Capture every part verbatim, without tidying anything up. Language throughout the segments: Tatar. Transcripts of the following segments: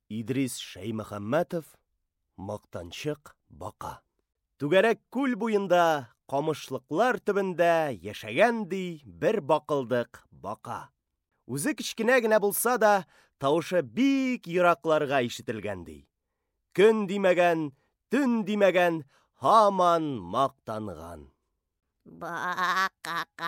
Идрис Шәймөхәммәтов, Мактанчык бака. Түгәрәк күл буенда, камышлыклар төбендә яшәгән ди бер бакылдык бака. Үзе кечкенә генә булса да, тавышы бик еракларга ишетелгән ди. Көн димәгән, төн димәгән, һаман мактанган. Бакакак,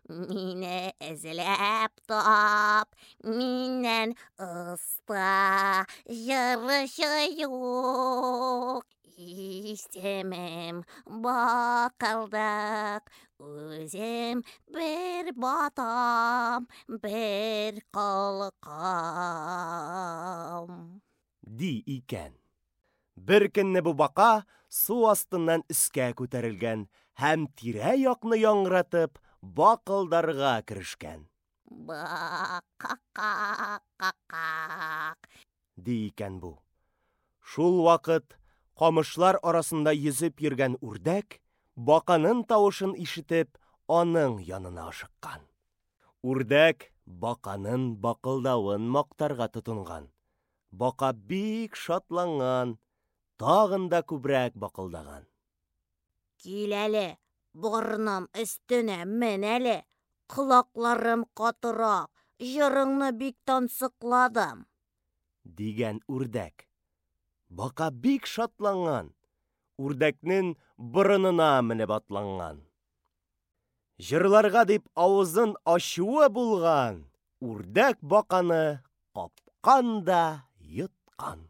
мине эзләп тап, миннән оста җырчы юк. Исемем Бакылдык, үзем бер батам, бер калкам. Ди икән. Бер көнне бу бака су астыннан өскә күтәрелгән һәм тирә-якны яңгыратып бакылдарга керешкән. Бакакакакак, ди икән бу. Шул вакыт камышлар арасында йөзеп йөргән үрдәк, баканын тавышын ишетеп, аның янына ашыккан. Үрдәк баканын бакылдавын мактарга тотынган. Бака бик шатланган, тагын да күбрәк бакылдаган. Кил әле, борыным өстенә мен әле, колакларым катырак, җырыңны бик тансыкладым, дигән үрдәк. Бака бик шатланган, үрдәкнең борынына менеп атланган. Җырларга дип авызын ачуы булган, үрдәк баканы капкан да йоткан.